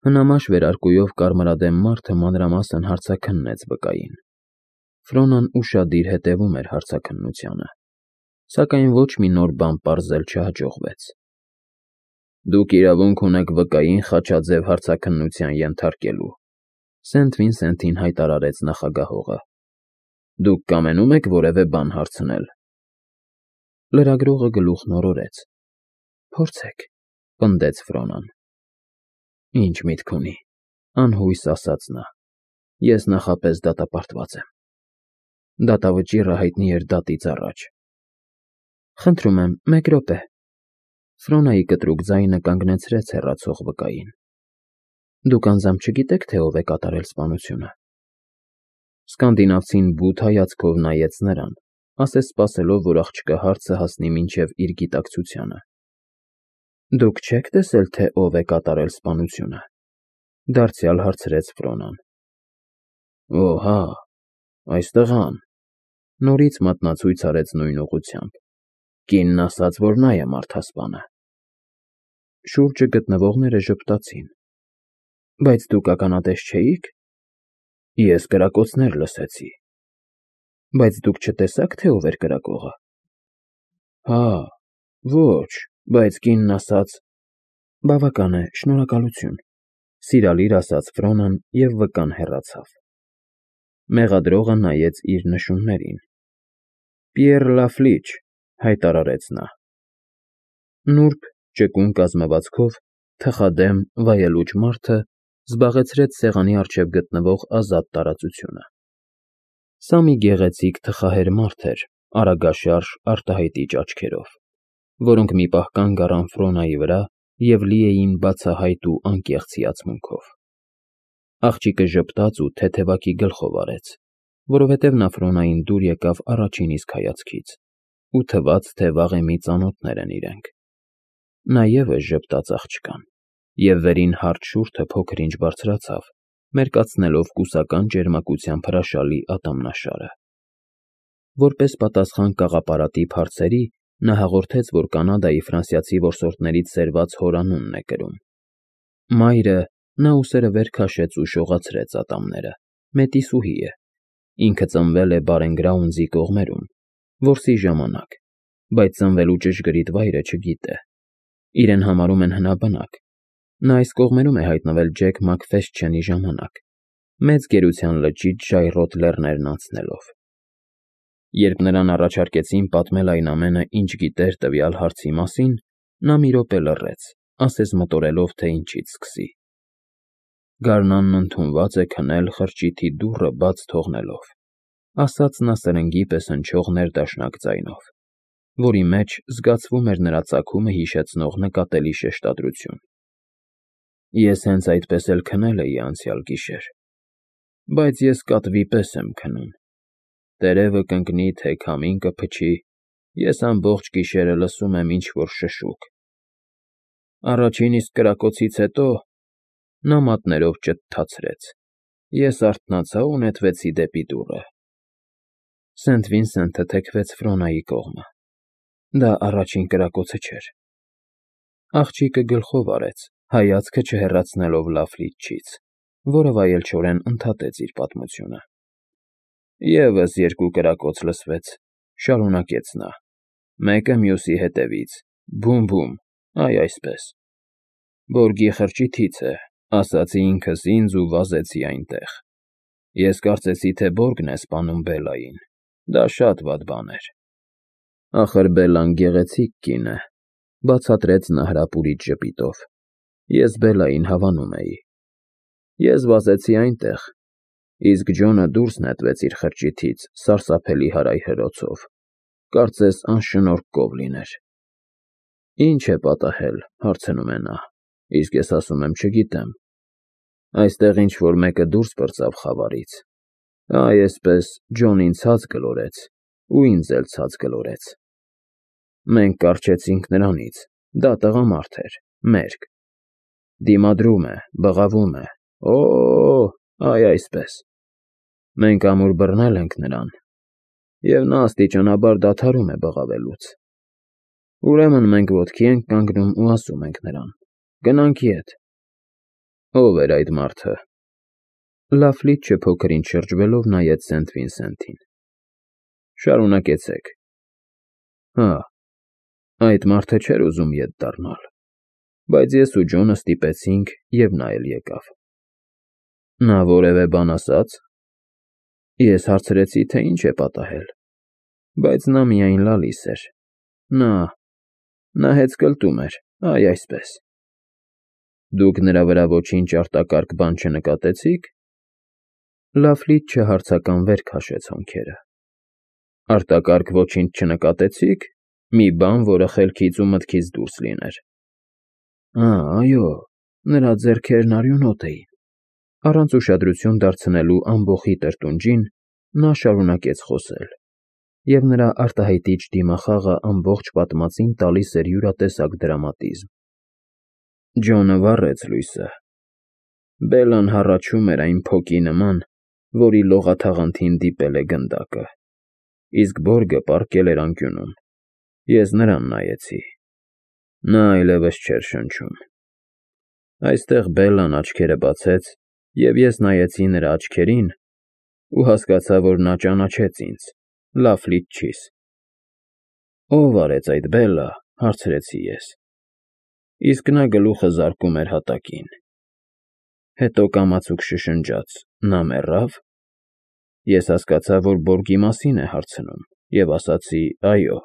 Հնամաշ վերարկուով կարմրադեմ մարդը մանրամասն հարցաքննեց վկային։ Ֆրոնան ուշադիր հետևում էր հարցաքննությանը, սակայն ոչ մի նոր բան պարզել չհաջողվեց։ Դուք իրավունք ունեք վկային խաչաձև հարցաքննության ենթարկելու, Սենթ Վինսենթին հայտարարեց նախագահողը։ Դուք կամենում եք որևէ բան հարցնել։ Լրագրողը գլուխն օրորեց։ Փորձեք, պնդեց Ֆրոնան։ Ինչ միտք ունի, անհույս ասաց նա։ Ես նախապես դատապարտված եմ։ Դատավճիռը հայտնի էր դատից առաջ։ Խնդրում եմ, մեկ րոպե։ Ֆրոնայի կտրուկ ձայնը կանգնեցրեց հեռացող վկային։ Դուք անձամբ չգիտեք, թե ով է կատարել սպանությունը։ Սկանդինավցին բութ հայացքով նայեց նրան, ասես սպասելով, որ աղջկա հարցը հասնի մինչև իր գիտակցությանը։ Դուք չեք տեսել, թե ով է կատարել սպանությունը, դարձյալ հարցրեց Ֆրոնան։ Օ, հա, այս տղան, նորից մատնացույց արեց նույն ուղղությամբ։ Կինն ասաց, որ նա է մարդասպանը։ Շուրջը գտնվողները ժպտացին։ Բայց դուք ականատես չէի՞ք։ Ես կրակոցներ լսեցի։ Բայց դուք չտեսաք, թե ով էր կրակողը։ Հա, ոչ, բայց կինն ասաց։ Բավական է, շնորհակալություն, սիրալիր ասաց Ֆրոնան և վկան հեռացավ։ Մեղադրողը նայեց իր նշումներին։ Պիեռ Լաֆլիչ, հայտարարեց նա։ Նուրբ, ճկուն կազմվածքով, թխադեմ, վայելուչ մարդը զբաղեցրեց սեղանի առջև գտնվող ազատ տարածությունը։ Սա մի գեղեցիկ թխահեր մարդ էր, արագաշարժ, արտահայտիչ աչքերով, որոնք մի պահ կանգ առան Ֆրոնայի վրա և լի էին բացահայտ ու անկեղծ հիացմունքով։ Աղջիկը ժպտաց ու թեթևակի գլխով արեց, որովհետև նա Ֆրոնային դուր եկավ առաջին իսկ հայացքից, ու թվաց, թե վաղեմի ծանոթներ են իրենք։ Նա ևս ժպտաց աղջկան, և վերին հարթ շուրթը փոքր-ինչ բարձրացավ, մերկացնելով կուսական ճերմակությամբ հրաշալի ատամնաշարը։ Որպես պատասխան կաղապարատիպ հարցերի, նա հաղորդեց, որ Կանադայի ֆրանսիացի որսորդներից սերված հորանունն է կրում։ Մայրը, նա ուսերը վեր քաշեց ու շողացրեց ատամները, մետիսուհի է, ինքը ծնվել է Բարենգրաունձի կողմերում, որսի ժամանակ, բայց ծնվելու ճշգրիտ վայրը չգիտե։ Իրեն համարում են հնաբնակ։ Նա այս կողմերում է հայտնվել Ջեք Մաքֆեսթչենի ժամանակ, մեծ գերության լճից ժայռոտ լեռներն անցնելով։ Երբ նրան առաջարկեցին պատմել այն ամենը, ինչ գիտեր տվյալ հարցի մասին, նա մի րոպե լռեց, ասես մտորելով, թե ինչից սկսի։ Գարնանն ընդունված է քնել խրճիթի դուռը բաց թողնելով, ասաց նա սրնգի պես հնչող ներդաշնակ ձայնով, որի մեջ զգացվում էր նրա ծագումը հիշեցնող նկատելի շեշտադրություն։ Ես հենց այդպես էլ քնել էի անցյալ գիշեր, բայց ես կատվի պես եմ քնում։ Տերևը կընկնի, թե քամին կփչի, ես ամբողջ գիշերը լսում եմ ինչ-որ շշուկ։ Առաջին իսկ կրակոցից հետո նա մատներով ճթթացրեց։ Ես արթնացա ու նետվեցի դեպի դուռը։ Սենթ Վինսենթը թեքվեց Ֆրոնայի կողմը։ Դա առաջին կրակոցը չէր։ Աղջիկը գլխով արեց, հայացքը չհեռացնելով Լաֆլիչից, որը վայելչորեն ընդհատեց իր պատմությունը։ Եվս երկու կրակոց լսվեց, շարունակեց նա։ Մեկը մյուսի հետևից, բում֊բում, այ այսպես։ Բորգի խրճիթից է, ասացի ինքս ինձ ու վազեցի այնտեղ։ Ես կարծեցի, թե Բորգն է սպանում Բելլային։ Դա շատ վատ բան էր։ Ախր Բելլան գեղեցիկ կին է, բացատրեց նա հրապուրիչ ժպիտով։ Ես Բելլային հավանում էի։ Ես վազեցի այնտեղ, իսկ Ջոնը դուրս նետվեց իր խրճիթից սարսափելի հարայհրոցով, կարծես անշնորհք կով լիներ։ Ինչ է պատահել, հարցնում է նա, իսկ ես ասում եմ չգիտեմ։ Այստեղ ինչ֊որ մեկը դուրս պրծավ խավարից։ Այ էսպես Ջոնին ցած գլորեց, ու ինձ էլ ցած գլորեց։ Մենք կառչեցինք նրանից, դա տղամարդ էր, մերկ։ Դիմադրում է, բղավում է, օ՜, այ այսպես։ Մենք ամուր բռնել ենք նրան, և նա աստիճանաբար դադարում է բղավելուց։ Ուրեմն մենք ոտքի ենք կանգնում ու ասում ենք նրան. գնանք ետ։ Ո՞վ էր այդ մարդը։ Լաֆլիչը փոքր-ինչ շրջվելով նայեց Սենթ Վինսենթին։ Շարունակեցեք։ Հա, այդ մարդը չէր ուզում ետ դառնալ, բայց ես ու Ջոնը ստիպեցինք, և նա էլ եկավ։ Նա որևէ բան ասաց։ Ես հարցրեցի, թե ինչ է պատահել, բայց նա միայն լալիս էր։ Նա հեծկլտում էր, այ այսպես։ Դուք նրա վրա ոչինչ արտակարգ բան չնկատեցի՞ք։ Լաֆլիչը հարցականվեր քաշեց հոնքերը։ Արտակարգ ոչինչ չնկատեցի՞ք։ Մի բան, որը խելքից ու մտքից դուրս լիներ։ Այո, նրա ձեռքերն արյունոտ էին։ Առանց ուշադրություն դարձնելու ամբոխի տրտունջին նա շարունակեց խոսել, և նրա արտահայտիչ դիմախաղը ամբողջ պատմածին տալիս էր յուրատեսակ դրամատիզմ։ Ջոնը վառեց լույսը։ Բելլան հառաչում էր այն փոկի նման, որի լողաթաղանթին դիպել է գնդակը, իսկ Բորգը պառկել էր անկյունում։ Ես նրան նայեցի։ Նա այլևս չէր շնչում։ Այստեղ Բելլան աչքերը բացեց, և ես նայեցի նրա աչքերին ու հասկացա, որ նա ճանաչեց ինձ, Լաֆլիչչիս։ Ո՞վ արեց այդ, Բելլա, հարցրեցի ես։ Իսկ նա գլուխը զարկում էր հատակին։ Հետո կամացուկ շշնջաց. Նա մեռա՞վ։ Ես հասկացա, որ Բորգի մասին է հարցնում, և ասացի. այո։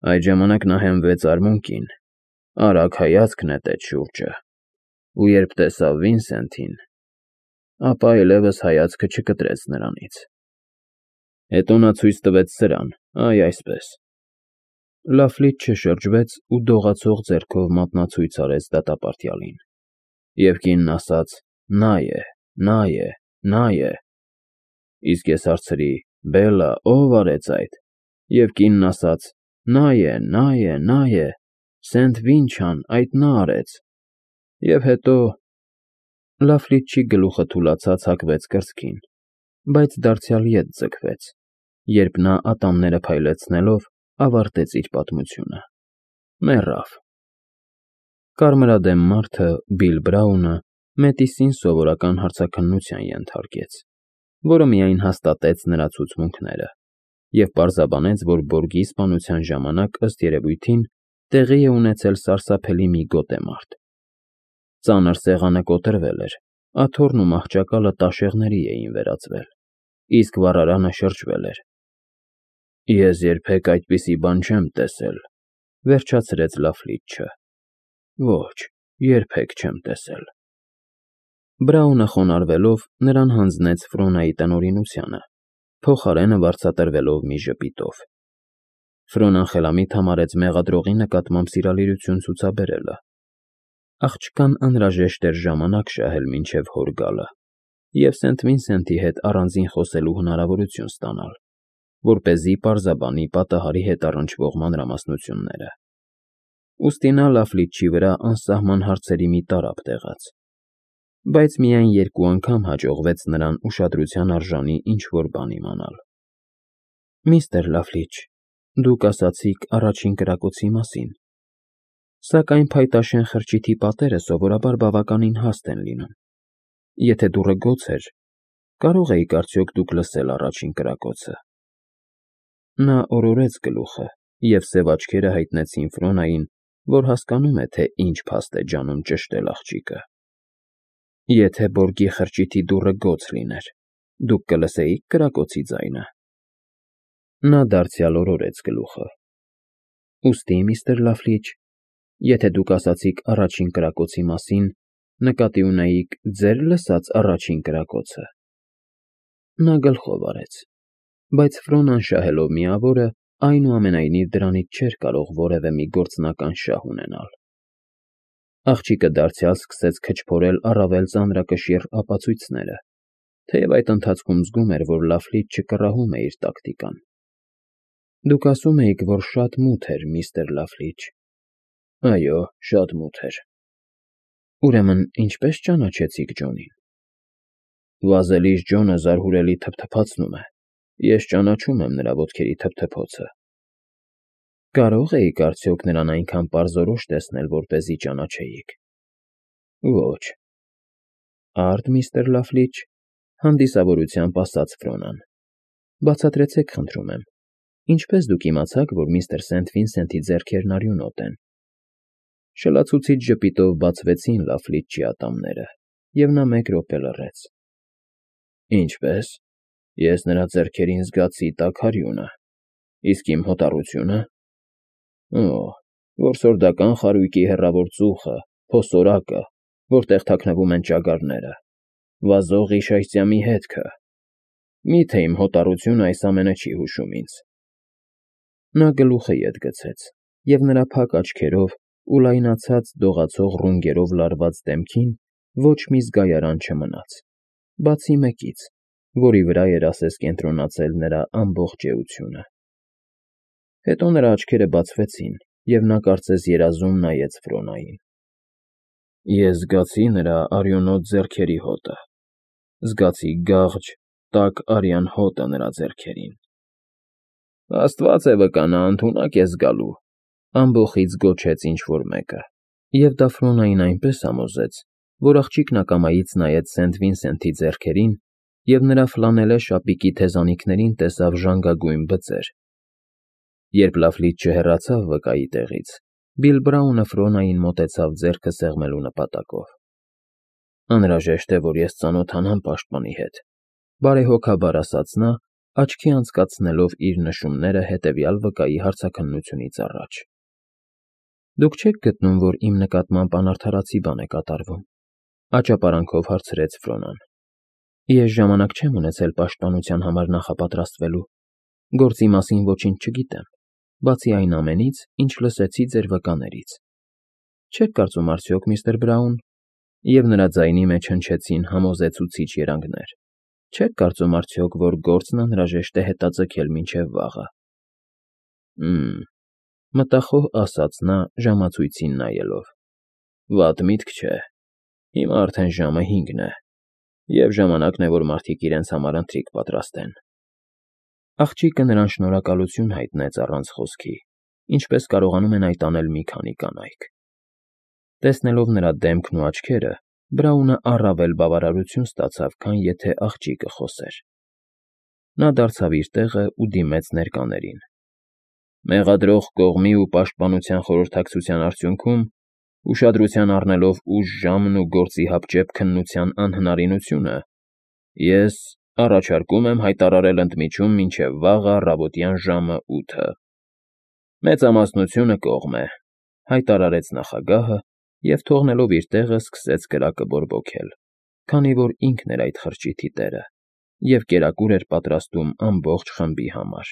Այդ ժամանակ նա հենվեց արմունկին, արագ հայացք նետեց շուրջը, ու երբ տեսավ Վինսենթին, ապա այլևս հայացքը չկտրեց նրանից։ Հետո նա ցույց տվեց սրան, այ այսպես։ Լաֆլիչը շրջվեց ու դողացող ձեռքով մատնացույց արեց դատապարտյալին, և կինն ասաց. նա է։ Իսկ ես հարցրի. Բելլա, ո՞վ արեց այդ։ Եվ կինն ասաց. նա է, Սենթ Վինչան, այդ նա արեց։ Եվ հետո… Լաֆլիչի գլուխը թուլացած հակվեց կրծքին, բայց դարձյալ ետ ձգվեց, երբ նա ատամները փայլեցնելով ավարտեց իր պատմությունը. Մեռավ։ Կարմրադեմ մարդը, Բիլ Բրաունը, Մետիսին սովորական հարցաքննության ենթարկեց, որը միայն հաստատեց նրա ցուցմունքները, և պարզաբանեց, որ Բորգի սպանության ժամանակ, ըստ երևույթին, տեղի է ունեցել սարսափելի մի գոտեմարտ։ Ծանր սեղանը կոտրվել էր, աթոռն ու մահճակալը տաշեղների էին վերածվել, իսկ վառարանը շրջվել էր։ Ես երբեք այդպիսի բան չեմ տեսել, վերջացրեց Լաֆլիչը։ Ոչ, երբեք չեմ տեսել։ Բրաունը խոնարհվելով նրան հանձնեց Ֆրոնայի տնօրինությանը, փոխարենը վարձատրվելով մի ժպիտով։ Ֆրոնան խելամիտ համարեց մեղադրողի նկատմամբ սիրալիրություն ցուցաբերելը։ Աղջկան անհրաժեշտ էր ժամանակ շահել մինչև հոր գալը և Սենթ Վինսենթի հետ առանձին խոսելու հնարավորություն ստանալ, որպեսզի պարզաբանի պատահարի հետ առնչվող մանրամասնությունները։ Ուստի նա Լաֆլիչի վրա անսահման հարցերի մի տարափ տեղաց, բայց միայն երկու անգամ հաջողվեց նրան ուշադրության արժանի ինչ-որ բան իմանալ։ Միստր Լաֆլիչ, դուք ասացիք առաջին կրակոցի մասին, սակայն փայտաշեն խրճիթի պատերը սովորաբար բավականին հաստ են լինում։ Եթե դուռը գոց էր, կարող էիք արդյոք դուք լսել առաջին կրակոցը։ Նա օրորեց գլուխը, և սև աչքերը հայտնեցին Ֆրոնային, որ հասկանում է, թե ինչ փաստ է ջանում ճշտել աղջիկը։ Եթե Բորգի խրճիթի դուռը գոց լիներ, դուք կլսեիք կրակոցի ձայնը։ Նա դարձյալ օրորեց գլուխը։ Ուստի, միստր Լաֆլիչ, եթե դուք ասացիք առաջին կրակոցի մասին, նկատի ունեիք ձեր լսած առաջին կրակոցը։ Նա գլխով արեց, բայց Ֆրոնան շահելով միավորը, այնուամենայնիվ դրանից չէր կարող որևէ մի գործնական շահ ունենալ։ Աղջիկը դարձյալ սկսեց քչփորել առավել ծանրակշիռ ապացույցները, թեև այդ ընթացքում զգում էր, որ Լաֆլիչը կռահում է իր տակտիկան։ Դուք ասում էիք, որ շատ մութ էր, միստր Լաֆլիչ։ Այո, շատ մութ էր։ Ուրեմն ինչպե՞ս ճանաչեցիք Ջոնին։ Վազելիս Ջոնը զարհուրելի թփթփացնում է։ Ես ճանաչում եմ նրա ոտքերի թփթփոցը։ Կարո՞ղ էիք արդյոք նրան այնքան պարզորոշ տեսնել, որպեսզի ճանաչեիք։ Ոչ, Արդ, միստր Լաֆլիչ, հանդիսավորությամբ ասաց Ֆրոնան։ Բացատրեցեք, խնդրում եմ, ինչպես դուք իմացաք, որ միստր Սենթ Վինսենթի ձեռքերն արյունոտ են։ Շլացուցիչ ժպիտով բացվեցին Լաֆլիչի ատամները, և նա մեկ րոպե լռեց։ Ինչպե՞ս։ Ես նրա ձեռքերին զգացի տաք արյունը, իսկ իմ հոտառությո՞ւնը։ Օ, որսորդական խարույկի հեռավոր ծուխը, փոսորակը, որտեղ թաքնվում են ճագարները, վազող իշայծյամի հետքը։ Մի՞թե իմ հոտառությունը այս ամենը չի հուշում ինձ։ Նա գլուխը ետ գցեց, և նրա փակ աչքերով ու լայնացած դողացող ռունգերով լարված դեմքին ոչ մի զգայարան չմնաց, բացի մեկից, որի վրա էր ասես կենտրոնացել նրա ամբողջ էությունը։ Հետո նրա աչքերը բացվեցին, և նա կարծես երազում նայեց Ֆրոնային։ Ես զգացի նրա արյունոտ ձեռքերի հոտը, զգացի գաղջ, տաք արյան հոտը նրա ձեռքերին։ Աստված է վկա, նա ընդունակ է զգալու, ամբոխից գոչեց ինչ֊որ մեկը, և դա Ֆրոնային այնպես համոզեց, որ աղջիկն ակամայից նայեց Սենթ Վինսենթի ձեռքերին և նրա ֆլանելե շապիկի թեզանիքներին տեսավ ժանգագույն բծեր։ Երբ Լաֆլիչը հեռացավ վկայի տեղից, Բիլ Բրաունը Ֆրոնային մոտեցավ ձեռքը սեղմելու նպատակով։ Անհրաժեշտ է, որ ես ծանոթանամ պաշտպանի հետ, բարեհոգաբար ասաց նա, աչքի անցկացնելով իր նշումները հետևյալ վկայի հարցաքննությունից առաջ։ Դուք չեք գտնում, որ իմ նկատմամբ անարդարացի բան է կատարվում, աճապարանքով հարցրեց Ֆրոնան։ Ես ժամանակ չեմ ունեցել պաշտպանության համար նախապատրաստվելու, գործի մասին ոչինչ չգիտեմ, բացի այն ամենից, ինչ լսեցի ձեր վկաներից։ Չեք կարծում արդյոք, միստր Բրաուն, և նրա ձայնի մեջ հնչեցին համոզեցուցիչ երանգներ, չեք կարծում արդյոք, որ գործն անհրաժեշտ է հետաձգել մինչև վաղը։ Մտախոհ ասաց նա ժամացույցին նայելով։ Վատ միտք չէ։ Հիմա արդեն ժամը 5 է, և ժամանակն է, որ մարդիկ իրենց համար ընթրիք պատրաստեն։ Աղջիկը նրան շնորհակալություն հայտնեց առանց խոսքի, ինչպես կարողանում են այդ անել մի քանի կանայք։ Տեսնելով նրա դեմքն ու աչքերը, Բրաունը առավել բավարարություն ստացավ, քան եթե աղջիկը խոսեր։ Նա դարձավ իր տեղը ու դիմեց ներկաներին։ Մեղադրող կողմի ու պաշտպանության խորհրդակցության արդյունքում, ուշադրության առնելով ուժ ժամն ու գործի հապճեպ քննության անհնարինությունը, ես առաջարկում եմ հայտարարել ընդմիջում մինչև վաղը առավոտյան ժամը 8-ը։ Մեծամասնությունը կողմ է, հայտարարեց նախագահը և թողնելով իր տեղը սկսեց կրակը բորբոքել, քանի որ ինքն էր այդ խրճիթի տերը և կերակուր էր պատրաստում ամբողջ խմբի համար։